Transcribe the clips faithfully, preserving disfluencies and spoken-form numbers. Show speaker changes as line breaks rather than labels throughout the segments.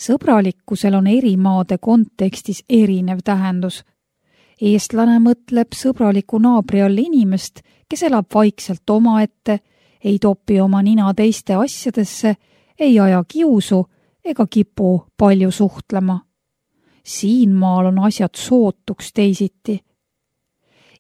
Sõbralikkusel on eri maade kontekstis erinev tähendus. Eestlane mõtleb sõbraliku naabri all inimest, kes elab vaikselt omaette, ei topi oma nina teiste asjadesse, ei aja kiusu ega kipu palju suhtlema. Siin maal on asjad sootuks teisiti.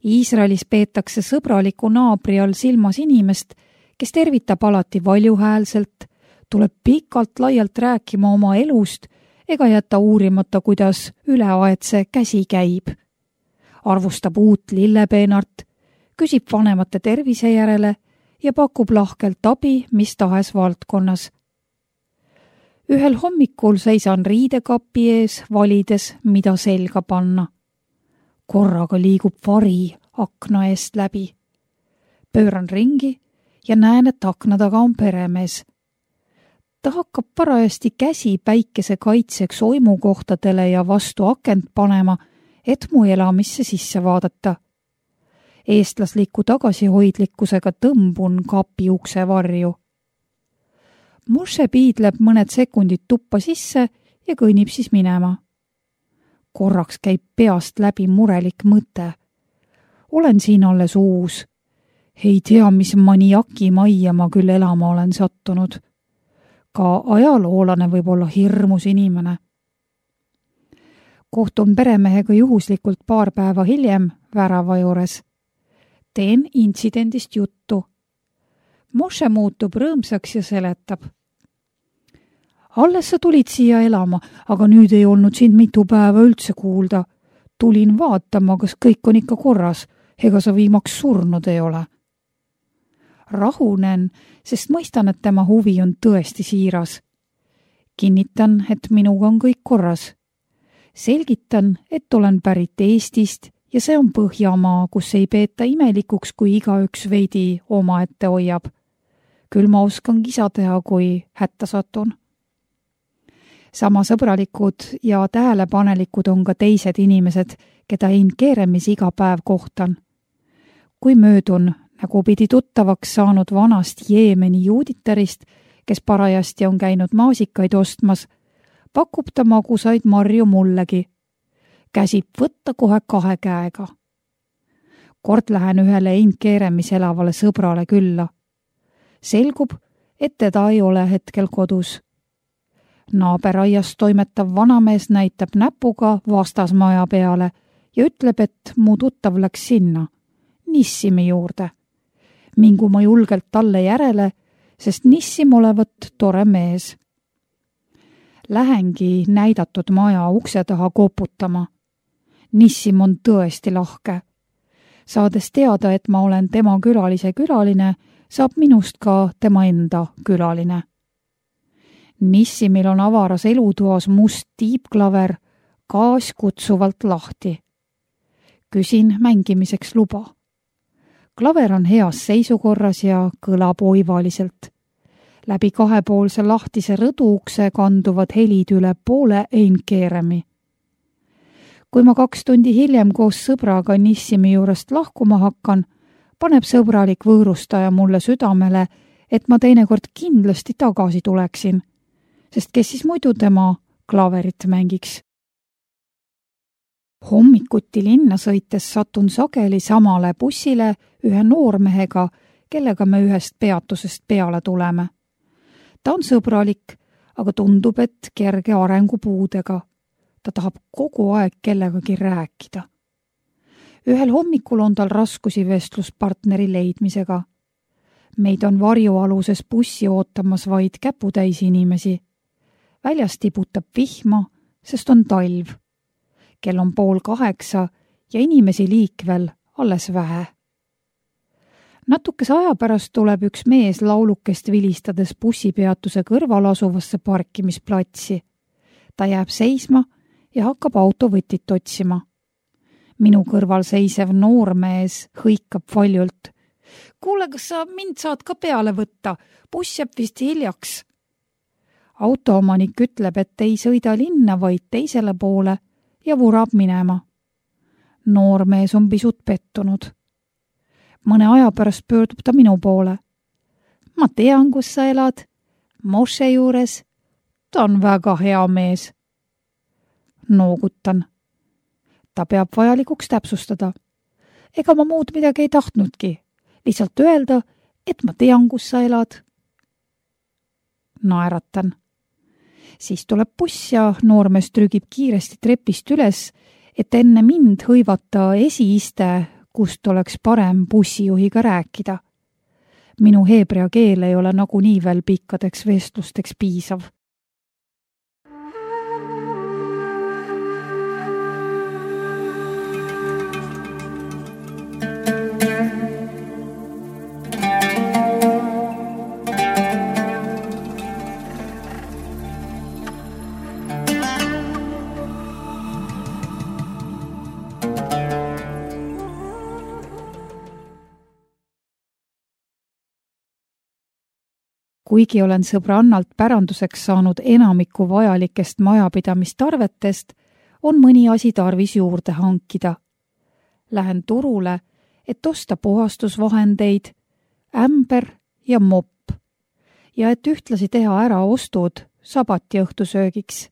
Iisraelis peetakse sõbraliku naabri all silmas inimest, kes tervitab alati valjuhäälselt, tuleb pikalt laialt rääkima oma elust ega jäta uurimata, kuidas üleaetse käsi käib. Arvustab uut lillepeenart, küsib vanemate tervise järele ja pakub lahkelt abi mis tahes valdkonnas. Ühel hommikul seisan riidekapi ees, valides, mida selga panna. Korraga liigub vari akna eest läbi. Pööran ringi ja näen, et akna taga on peremees. Ta hakkab parajasti käsi päikese kaitseks oimukohtadele ja vastu akent panema, et mu elamisse sisse vaadata. Eestlasliku tagasihoidlikkusega tõmbun kapi ukse varju. Moshe piidleb mõned sekundid tuppa sisse ja kõnnib siis minema. Korraks käib peast läbi murelik mõte. Olen siin alles uus. Ei tea, mis maniaki majja ma küll elama olen sattunud. Ka ajaloolane võib olla hirmus inimene. Kohtun peremehega juhuslikult paar päeva hiljem värava juures. Teen intsidendist juttu. Moshe muutub rõõmsaks ja seletab. Alles sa tulid siia elama, aga nüüd ei olnud sind mitu päeva üldse kuulda. Tulin vaatama, kas kõik on ikka korras, ega sa viimaks surnud ei ole. Rahunen, sest mõistan, et tema huvi on tõesti siiras. Kinnitan, et minuga on kõik korras. Selgitan, et olen pärit Eestist ja see on Põhjamaa, kus ei peeta imelikuks, kui igaüks veidi omaette hoiab. Küll ma oskan kisa teha, kui hätta satun. Sama sõbralikud ja tähelepanelikud on ka teised inimesed, keda Ein Keeremis iga päev kohtan. Kui möödun, nagu pidi tuttavaks saanud vanast Jeemeni juuditarist, kes parajasti on käinud maasikaid ostmas, pakub ta magusaid marju mullegi. Käsib võtta kohe kahe käega. Kord lähen ühele Ein Keeremis elavale sõbrale külla. Selgub, et teda ei ole hetkel kodus. Naaberaias toimetav vanamees näitab näpuga vastasmaja peale ja ütleb, et mu tuttav läks sinna, Nissimi juurde. Mingu ma julgelt talle järele, sest Nissim olevat tore mees. Lähengi näidatud maja ukse taha koputama. Nissim on tõesti lahke. Saades teada, et ma olen tema külalise külaline, saab minust ka tema enda külaline. Nissimil on avaras elutoas must tiibklaver, gaas kutsuvalt lahti. Küsin mängimiseks luba. Klaver on heas seisukorras ja kõlab oivaliselt. Läbi kahepoolse lahtise rõduukse kanduvad helid üle poole Ein Keeremi. Kui ma kaks tundi hiljem koos sõbraga Nissimi juurest lahkuma hakkan, paneb sõbralik võõrustaja mulle südamele, et ma teinekord kindlasti tagasi tuleksin, sest kes siis muidu tema klaverit mängiks. Hommikuti linna sõites satun sageli samale bussile ühe noormehega, kellega me ühest peatusest peale tuleme. Ta on sõbralik, aga tundub, et kerge arengupuudega. Ta tahab kogu aeg kellegagi rääkida. Ühel hommikul on tal raskusi vestluspartneri leidmisega. Meid on varjualuses bussi ootamas vaid käputäis inimesi. Väljas tiputab vihma, sest on talv. Kell on pool kaheksa ja inimesi liikvel alles vähe. Natukese aja pärast tuleb üks mees laulukest vilistades bussipeatuse kõrval asuvasse parkimisplatsi. Ta jääb seisma ja hakkab autovõtit otsima. Minu kõrval seisev noormees hõikab valjult. Kuule, kas sa mind saad ka peale võtta? Buss jääb vist hiljaks. Autoomanik ütleb, et ei sõida linna, vaid teisele poole ja vurab minema. Noormees on pisut pettunud. Mõne aja pärast pöördub ta minu poole. Ma tean, kus sa elad. Moshe juures. ta on väga hea mees. Noogutan. Ta peab vajalikuks täpsustada. Ega ma muud midagi ei tahtnudki. Lihtsalt öelda, et ma tean, kus sa elad. Naeratan. Siis tuleb buss ja noormees trügib kiiresti trepist üles, et enne mind hõivata esiiste, kust oleks parem bussijuhiga rääkida. Minu heebrea keel ei ole nagunii veel pikkadeks vestlusteks piisav. Kuigi olen sõbrannalt päranduseks saanud enamiku vajalikest majapidamistarvetest, on mõni asi tarvis juurde hankida. Lähen turule, et osta puhastusvahendeid, ämber ja mopp ja et ühtlasi teha ära ostud sabati õhtusöögiks.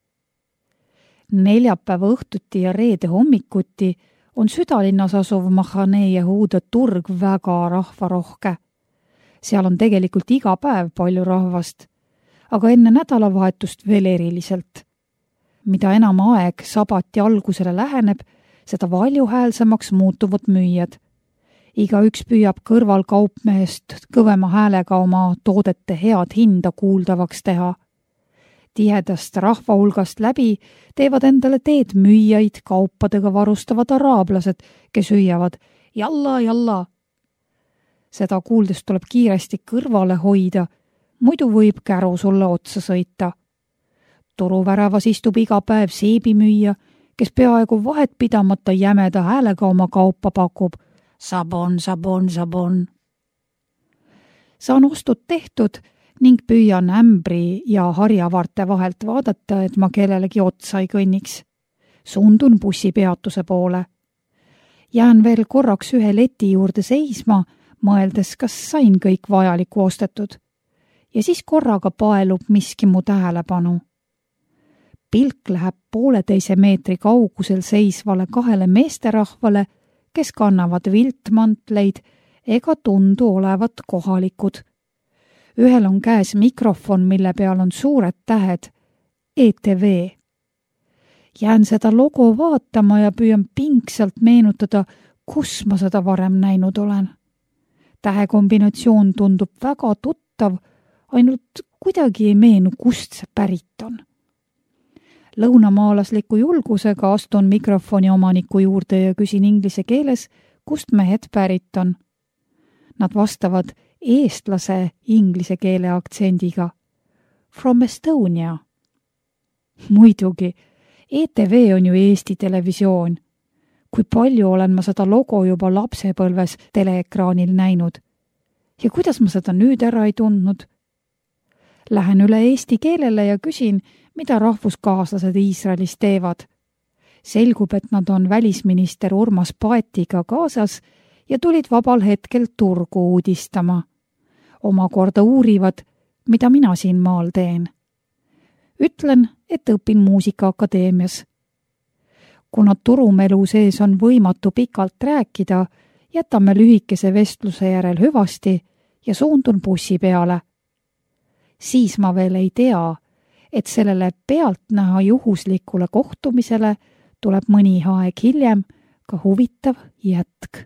Neljapäeva õhtuti ja reede hommikuti on südalinnas asuv Mahane Jehuda turg väga rahvarohke. Seal on tegelikult iga päev palju rahvast, aga enne nädalavahetust veel eriliselt. Mida enam aeg sabati algusele läheneb, seda valjuhäälsemaks muutuvad müüjad. Iga üks püüab kõrval kaupmehest kõvema häälega oma toodete head hinda kuuldavaks teha. Tihedast rahva hulgast läbi teevad endale teed müüjaid kaupadega varustavad araablased, kes hüüavad jalla, jalla. Seda kuuldes tuleb kiiresti kõrvale hoida, muidu võib käru sulle otsa sõita. Turuväravas istub iga päev seebimüüja, kes peaaegu vahet pidamata jämeda häälega oma kaupa pakub. Sabon, sabon, sabon. Saan ostud tehtud ning püüan ämbri ja harjavarte vahelt vaadata, et ma kellelegi otsa ei kõnniks. Suundun bussipeatuse poole. Jään veel korraks ühe leti juurde seisma, mõeldes, kas sain kõik vajaliku ostetud. Ja siis korraga paelub miski mu tähelepanu. Pilk läheb pooleteise meetri kaugusel seisvale kahele meesterahvale, kes kannavad viltmantleid ega tundu olevat kohalikud. Ühel on käes mikrofon, mille peal on suured tähed E T V. Jään seda logo vaatama ja püüan pingsalt meenutada, kus ma seda varem näinud olen. Tähekombinatsioon tundub väga tuttav, ainult kuidagi ei meenu, kust see pärit on. Lõunamaalasliku julgusega astun mikrofoni omaniku juurde ja küsin inglise keeles, kust mehed pärit on. Nad vastavad eestlase inglise keele aktsendiga. From Estonia. Muidugi, E T V on ju Eesti televisioon. Kui palju olen ma seda logo juba lapsepõlves teleekraanil näinud. Ja kuidas ma seda nüüd ära ei tundnud? Lähen üle eesti keelele ja küsin, mida rahvuskaaslased Iisraelis teevad. Selgub, et nad on välisminister Urmas Paetiga kaasas ja tulid vabal hetkel turgu uudistama. Omakorda uurivad, mida mina siin maal teen. Ütlen, et õpin muusikaakadeemias. Kuna turumelu sees on võimatu pikalt rääkida, jätame lühikese vestluse järel hüvasti ja suundun bussi peale. Siis ma veel ei tea, et sellele pealtnäha juhuslikule kohtumisele tuleb mõni aeg hiljem ka huvitav jätk.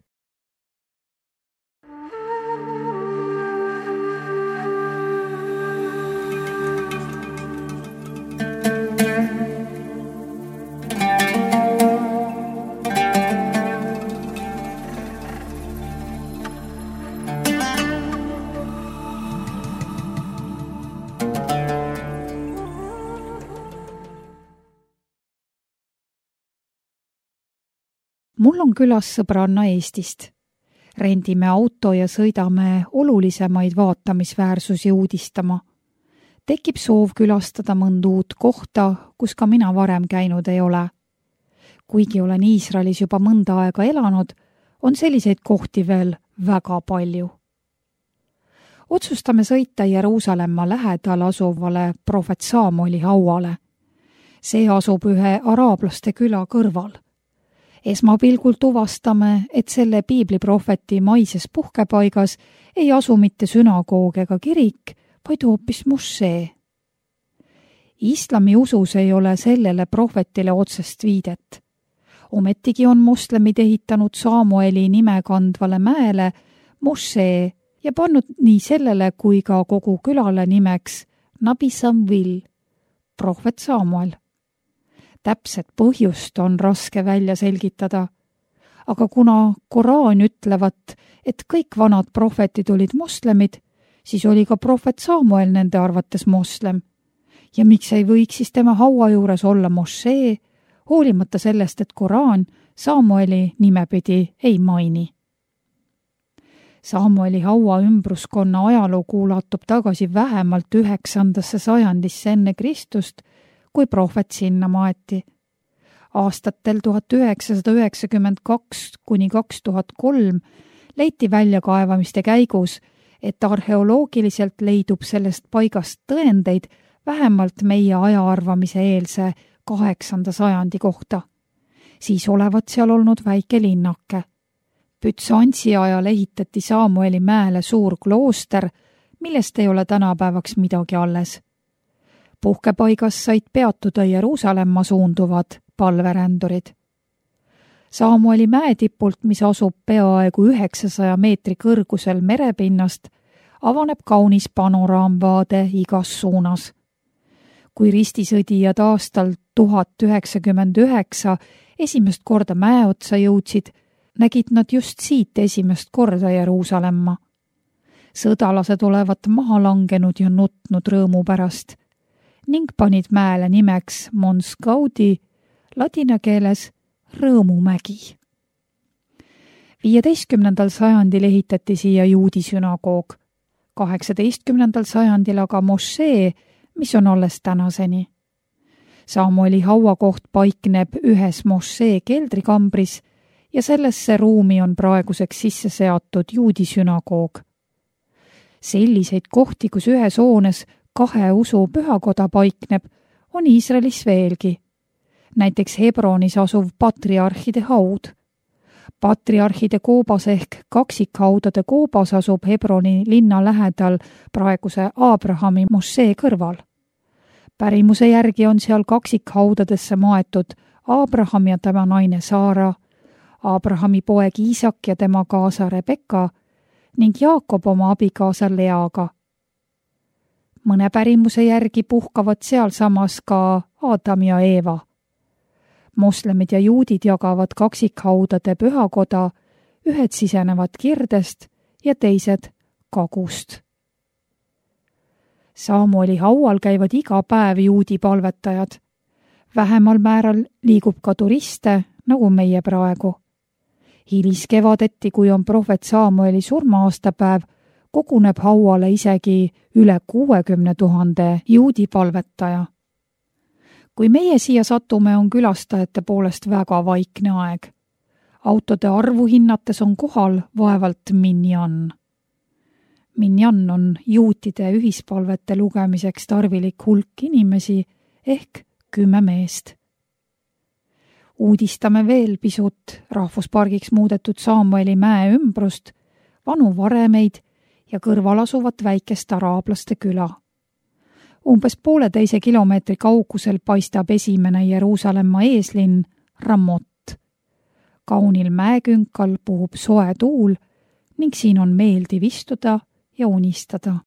Mul on külas sõbranna Eestist. Rendime auto ja sõidame olulisemaid vaatamisväärsusi uudistama. Tekib soov külastada mõnda uut kohta, kus ka mina varem käinud ei ole. Kuigi olen Iisraelis juba mõnda aega elanud, on selliseid kohti veel väga palju. otsustame sõita Jeruusalemma lähedal asuvale prohvet Samueli hauale. See asub ühe araablaste küla kõrval. Esmapilgul tuvastame, et selle piibliprohveti maises puhkepaigas ei asu mitte sünagoog ega kirik, vaid hoopis mošee. Islami usus ei ole sellele prohvetile otsest viidet. Ometigi on moslemid ehitanud Samueli nime kandvale mäele mošee ja pannud nii sellele kui ka kogu külale nimeks Nabi Samvil, prohvet Samuel. Täpset põhjust on raske välja selgitada, aga kuna Koraan ütlevat, et kõik vanad prohvetid olid moslemid, siis oli ka prohvet Samuel nende arvates moslem. Ja miks ei võiks siis tema haua juures olla mošee, hoolimata sellest, et Koraan Samueli nimepidi ei maini. Samueli haua ümbruskonna ajalugu ulatub tagasi vähemalt üheksandasse sajandisse enne Kristust, kui prohvet sinna maeti. Aastatel tuhat üheksasada üheksakümmend kaks kuni kaks tuhat kolm leiti väljakaevamiste käigus, et arheoloogiliselt leidub sellest paigast tõendeid vähemalt meie ajaarvamise eelse kaheksanda sajandi kohta. Siis olevat seal olnud väike linnake. Bütsantsi ajal ehitati Samueli mäele suur klooster, millest ei ole tänapäevaks midagi alles. Puhkepaigas said peatuda Jeruusalemma suunduvad palverändurid. Samueli mäetipult, mis asub peaaegu üheksasaja meetri kõrgusel merepinnast, avaneb kaunis panoraamvaade igas suunas. Kui ristisõdijad aastal tuhat üheksakümmend üheksa esimest korda mäe otsa jõudsid, nägid nad just siit esimest korda Jeruusalemma. Sõdalased olevat maha langenud ja nutnud rõõmu pärast ning panid mäele nimeks Mons Gaudi, ladina keeles Rõõmumägi. viieteistkümnendal sajandil ehitati siia juudi sünagoog, kaheksateistkümnendal sajandil aga mošee, mis on alles tänaseni. Samueli hauakoht paikneb ühes mošee keldrikambris ja sellesse ruumi on praeguseks sisse seatud juudi sünagoog. Selliseid kohti, kus ühes hoones kahe usu pühakoda paikneb, on Iisraelis veelgi. Näiteks Hebronis asuv patriarhide haud. Patriarhide koobas ehk kaksikhaudade koobas asub Hebroni linna lähedal praeguse Aabrahami mošee kõrval. Pärimuse järgi on seal kaksikhaudadesse maetud Aabraham ja tema naine Saara, Aabrahami poeg Iisak ja tema kaasa Rebeka ning Jaakob oma abikaasa Leaga. Mõne pärimuse järgi puhkavad sealsamas ka Adam ja Eeva. Moslemid ja juudid jagavad kaksikhaudade pühakoda, ühed sisenevad kirdest ja teised kagust. Samueli haual käivad iga päev juudi palvetajad. Vähemal määral liigub ka turiste, nagu meie praegu. Hiliskevadeti, kui on prohvet Samueli surma-aastapäev, koguneb hauale isegi üle kuuekümne tuhande juudi palvetaja. Kui meie siia satume, on külastajate poolest väga vaikne aeg. Autode arvu hinnates on kohal vaevalt minjan. Minjan on juutide ühispalvete lugemiseks tarvilik hulk inimesi ehk kümme meest. Uudistame veel pisut rahvuspargiks muudetud Samueli mäe ümbrust, vanu varemeid ja kõrval asuvat väikest araablaste küla. Umbes pooleteise kilomeetri kaugusel paistab esimene Jeruusalemma eeslinn Ramot. Kaunil mäekünkal puhub soe tuul ning siin on meeldiv istuda ja unistada.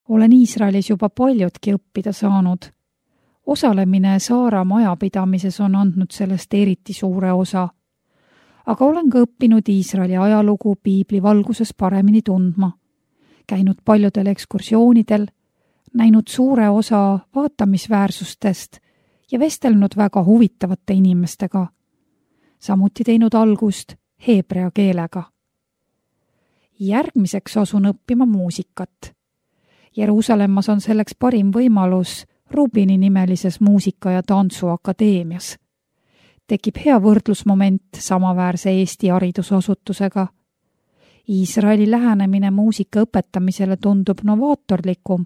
Olen Iisraelis juba paljudki õppida saanud. Osalemine Saara majapidamises on andnud sellest eriti suure osa. Aga olen ka õppinud Iisraeli ajalugu piibli valguses paremini tundma. Käinud paljudel ekskursioonidel, näinud suure osa vaatamisväärsustest ja vestelnud väga huvitavate inimestega. Samuti teinud algust heebrea keelega. Järgmiseks asun õppima muusikat. Jeruusalemmas on selleks parim võimalus Rubini nimelises muusika- ja tantsuakadeemias. Tekib hea võrdlusmoment samaväärse Eesti haridusasutusega. Iisraeli lähenemine muusika õpetamisele tundub novaatorlikum,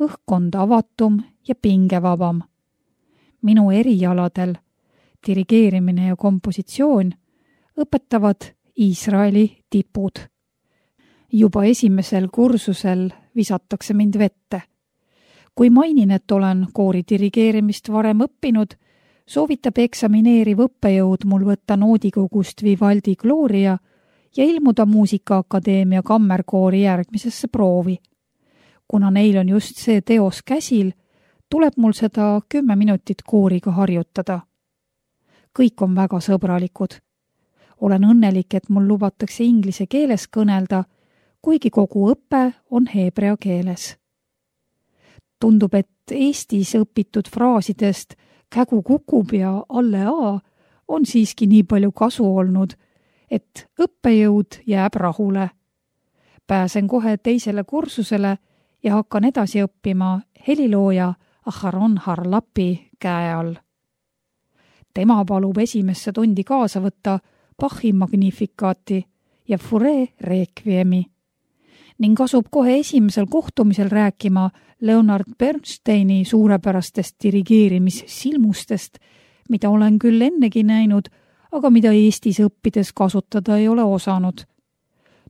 õhkkond avatum ja pingevabam. Minu erialadel, dirigeerimine ja kompositsioon, õpetavad Iisraeli tipud. Juba esimesel kursusel visatakse mind vette. Kui mainin, et olen koori dirigeerimist varem õppinud, soovitab eksamineeriv õppejõud mul võtta noodikogust Vivaldi Gloria ja ilmuda Muusikaakadeemia kammerkoori järgmisesse proovi. Kuna neil on just see teos käsil, tuleb mul seda kümme minutit kooriga harjutada. Kõik on väga sõbralikud. Olen õnnelik, et mul lubatakse inglise keeles kõnelda, kuigi kogu õpe on heebrea keeles. Tundub, et Eestis õpitud fraasidest kägu kukub ja alle A on siiski nii palju kasu olnud, et õppejõud jääb rahule. Pääsen kohe teisele kursusele ja hakkan edasi õppima helilooja Aharon Harlapi käe all. Tema palub esimesse tundi kaasa võtta Bachi Magnifikaati ja Fauré Requiemi ning asub kohe esimesel kohtumisel rääkima Leonard Bernsteini suurepärastest dirigeerimissilmustest, mida olen küll ennegi näinud, aga mida Eestis õppides kasutada ei ole osanud.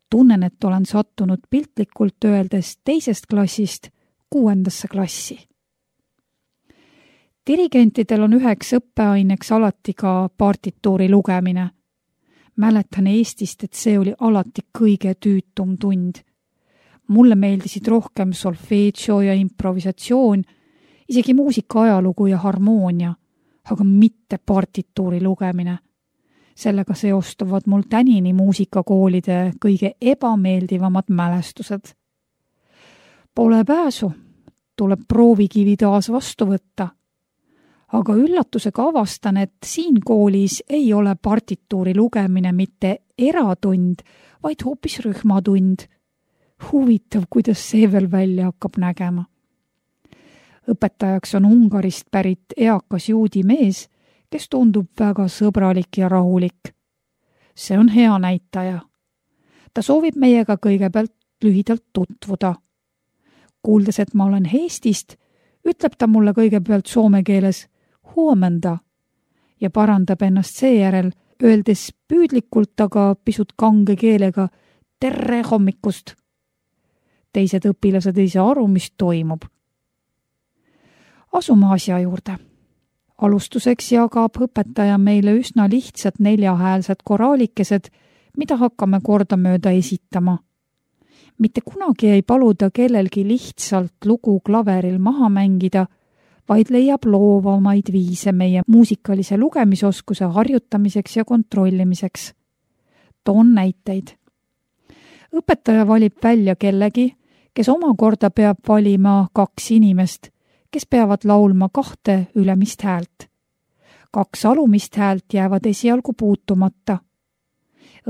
Tunnen, et olen sattunud piltlikult öeldes teisest klassist kuuendasse klassi. Dirigentidel on üheks õppeaineks alati ka partituuri lugemine. Mäletan Eestist, et see oli alati kõige tüütum tund. Mulle meeldisid rohkem solfeggio ja improvisatsioon, isegi muusika ajalugu ja harmoonia, aga mitte partituuri lugemine. Sellega seostuvad mul tänini muusikakoolide kõige ebameeldivamad mälestused. Pole pääsu, tuleb proovikivi taas vastu võtta. Aga üllatusega avastan, et siin koolis ei ole partituuri lugemine mitte eratund, vaid hoopis rühmatund. Huvitav, kuidas see veel välja hakkab nägema. Õpetajaks on Ungarist pärit eakas juudi mees, kes tundub väga sõbralik ja rahulik. See on hea näitaja. Ta soovib meiega kõigepealt lühidalt tutvuda. Kuuldes, et ma olen Eestist, ütleb ta mulle kõigepealt soome keeles huomenda ja parandab ennast seejärel, öeldes püüdlikult, aga pisut kange keelega terre hommikust. Teised õpilased ei saa aru, mis toimub. Asume asja juurde. Alustuseks jagab õpetaja meile üsna lihtsad neljahäälsed koraalikesed, mida hakkame kordamööda esitama. Mitte kunagi ei paluda kellelgi lihtsalt lugu klaveril maha mängida, vaid leiab loovamaid viise meie muusikalise lugemisoskuse harjutamiseks ja kontrollimiseks. Toon näiteid. Õpetaja valib välja kellegi, kes omakorda peab valima kaks inimest, kes peavad laulma kahte ülemist häält. Kaks alumist häält jäävad esialgu puutumata.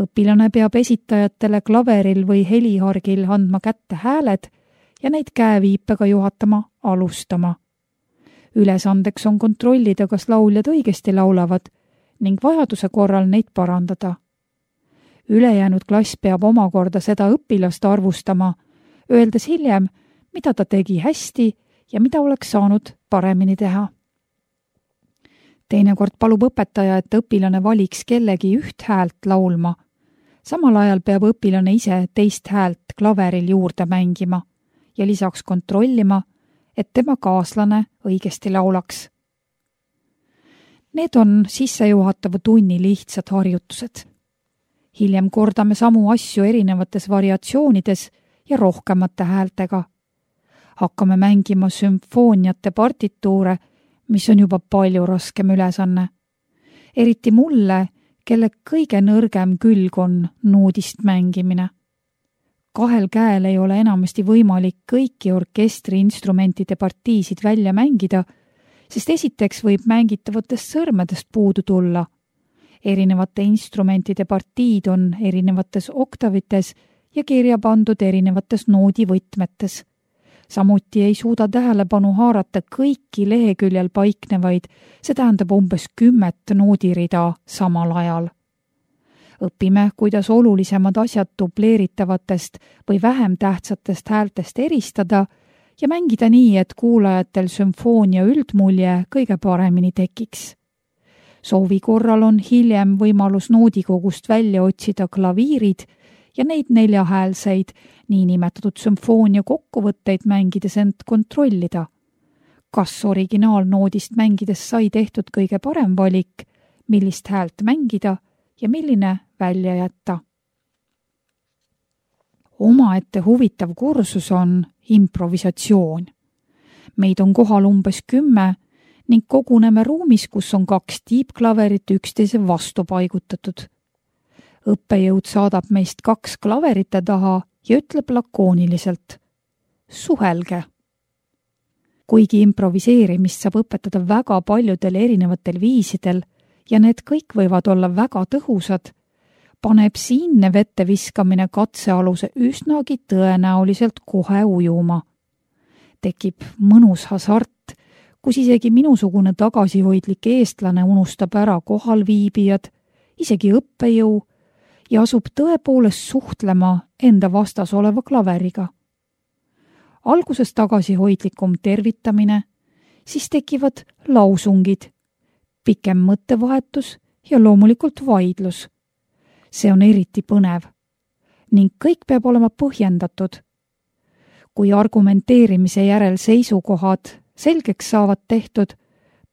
Õpilane peab esitajatele klaveril või helihargil andma kätte hääled ja neid käeviipega juhatama alustama. Ülesandeks on kontrollida, kas lauljad õigesti laulavad ning vajaduse korral neid parandada. Ülejäänud klass peab omakorda seda õpilast arvustama, öeldes hiljem, mida ta tegi hästi ja mida oleks saanud paremini teha. Teinekord palub õpetaja, et õpilane valiks kellegi üht häält laulma. Samal ajal peab õpilane ise teist häält klaveril juurde mängima ja lisaks kontrollima, et tema kaaslane õigesti laulaks. Need on sissejuhatava tunni lihtsad harjutused. Hiljem kordame samu asju erinevates variatsioonides ja rohkemate häältega. Hakkame mängima sümfooniate partituure, mis on juba palju raskem ülesanne. Eriti mulle, kelle kõige nõrgem külg on noodist mängimine. kahel käel ei ole enamasti võimalik kõiki orkestri instrumentide partiisid välja mängida, sest esiteks võib mängitavatest sõrmedest puudu tulla. Erinevate instrumentide partiid on erinevates oktavites ja kirja pandud erinevates noodivõtmetes. Samuti ei suuda tähelepanu haarata kõiki leheküljel paiknevaid, see tähendab umbes kümmet noodirida samal ajal. Õpime, kuidas olulisemad asjad dubleeritavatest või vähem tähtsatest häältest eristada ja mängida nii, et kuulajatel sümfoonia üldmulje kõige paremini tekiks. Soovi korral on hiljem võimalus noodikogust välja otsida klaviirid ja neid neljahäälseid, niinimetatud sümfoonia kokkuvõtteid mängides end kontrollida. Kas originaalnoodist mängides sai tehtud kõige parem valik, millist häält mängida ja milline välja jätta. Omaette huvitav kursus on improvisatsioon. Meid on kohal umbes kümme ning koguneme ruumis, kus on kaks tiibklaverit üksteise vastu paigutatud. Õppejõud saadab meist kaks klaverite taha ja ütleb lakooniliselt: suhelge. Kuigi improviseerimist saab õpetada väga paljudel erinevatel viisidel ja need kõik võivad olla väga tõhusad, paneb siinne vette viskamine katsealuse üsnagi tõenäoliselt kohe ujuma. Tekib mõnus hasart, kus isegi minusugune tagasihoidlik eestlane unustab ära kohalviibijad, isegi õppejõu, ja asub tõepoolest suhtlema enda vastas oleva klaveriga. Alguses tagasihoidlikum tervitamine, siis tekivad lausungid, pikem mõttevahetus ja loomulikult vaidlus. See on eriti põnev ning kõik peab olema põhjendatud. Kui argumenteerimise järel seisukohad selgeks saavad tehtud,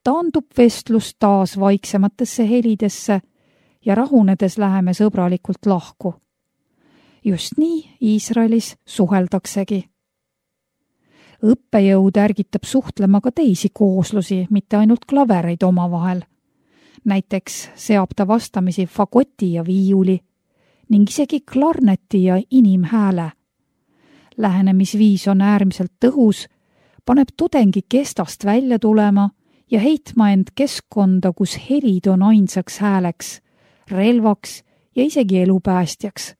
taandub vestlus taas vaiksematesse helidesse ja rahunedes läheme sõbralikult lahku. Just nii Iisraelis suheldaksegi. Õppejõud ärgitab suhtlema ka teisi kooslusi, mitte ainult klavereid omavahel. Näiteks seab ta vastamisi fagoti ja viiuli ning isegi klarneti ja inimhääle. Lähenemisviis on äärmiselt tõhus, paneb tudengi kestast välja tulema ja heitma end keskkonda, kus helid on ainsaks hääleks, relvaks ja isegi elupäästjaks.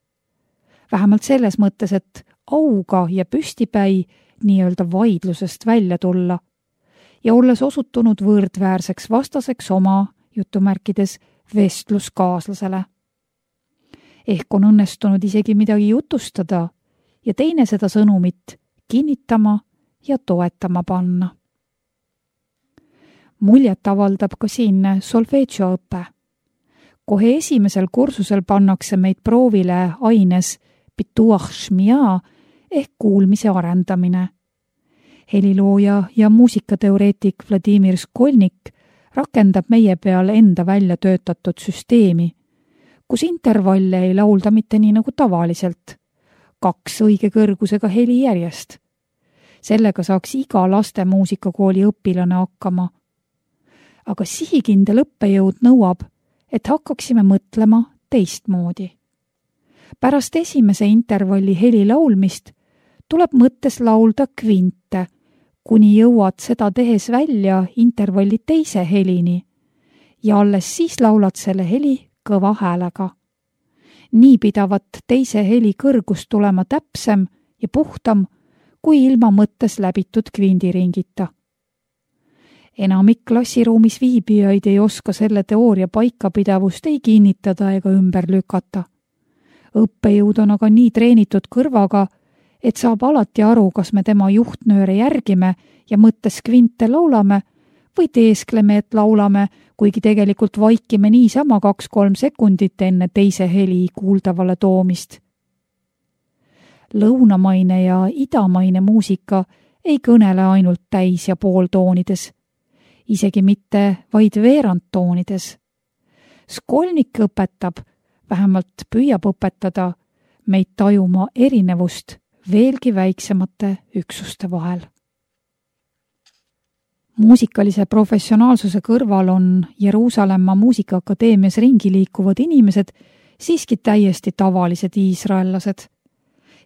Vähemalt selles mõttes, et auga ja püstipäi nii-öelda vaidlusest välja tulla ja olles osutunud võrdväärseks vastaseks oma jutumärkides vestluskaaslasele. Ehk on õnnestunud isegi midagi jutustada ja teine seda sõnumit kinnitama ja toetama panna. Muljet avaldab ka siin solfeggioõpe. Kohe esimesel kursusel pannakse meid proovile aines pituach shmia ehk kuulmise arendamine. Helilooja ja muusikateoreetik Vladimir Skolnik rakendab meie peal enda välja töötatud süsteemi, kus intervalle ei laulda mitte nii nagu tavaliselt, kaks õige kõrgusega heli järjest. Sellega saaks iga laste muusikakooli õpilane hakkama. Aga sihikindel õppejõud nõuab, et hakkaksime mõtlema teistmoodi. Pärast esimese intervalli heli laulmist tuleb mõttes laulda kvinte, kuni jõuad seda tehes välja intervalli teise helini ja alles siis laulad selle heli kõva häälega. Nii pidavat teise heli kõrgus tulema täpsem ja puhtam kui ilma mõttes läbitud kvindiringita. Enamik klassiruumis viibijaid ei oska selle teooria paikapidavust ei kinnitada ega ümber lükata. Õppejõud on aga nii treenitud kõrvaga, et saab alati aru, kas me tema juhtnööre järgime ja mõttes kvinte laulame või teeskleme, et laulame, kuigi tegelikult vaikime niisama kaks-kolm sekundit enne teise heli kuuldavale toomist. Lõunamaine ja idamaine muusika ei kõnele ainult täis- ja pooltoonides, isegi mitte vaid veerandtoonides. Skolnik õpetab, vähemalt püüab õpetada, meid tajuma erinevust veelgi väiksemate üksuste vahel. Muusikalise professionaalsuse kõrval on Jeruusalemma muusikaakadeemias ringi liikuvad inimesed siiski täiesti tavalised iisraellased.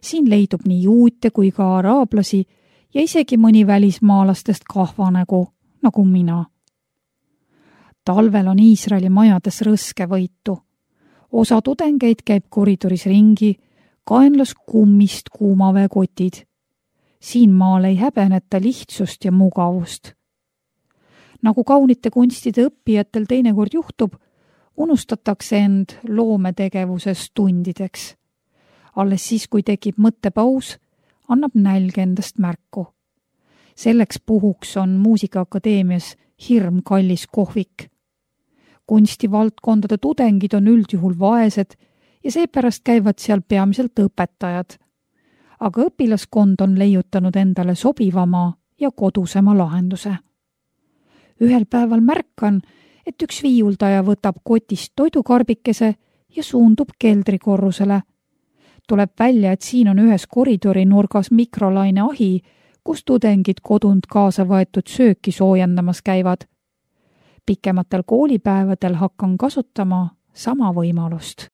siin leidub nii juute kui ka araablasi ja isegi mõni välismaalastest kahvanägu, nagu mina. Talvel on Iisraeli majades rõskevõitu. Osa tudengeid käib koridoris ringi, kaenlas kummist kuumaveekotid. Siin maal ei häbeneta lihtsust ja mugavust. Nagu kaunite kunstide õppijatel teinekord juhtub, unustatakse end loometegevuses tundideks. Alles siis, kui tekib mõttepaus, annab nälg endast märku. Selleks puhuks on Muusikaakadeemias hirm kallis kohvik. Kunstivaldkondade tudengid on üldjuhul vaesed ja seepärast käivad seal peamiselt õpetajad. Aga õpilaskond on leiutanud endale sobivama ja kodusema lahenduse. Ühel päeval märkan, et üks viiuldaja võtab kotist toidukarbikese ja suundub keldrikorrusele. Tuleb välja, et siin on ühes koridori nurgas mikrolaine ahi, kus tudengid kodunt kaasa võetud sööki soojendamas käivad. Pikematel koolipäevadel hakkan kasutama sama võimalust.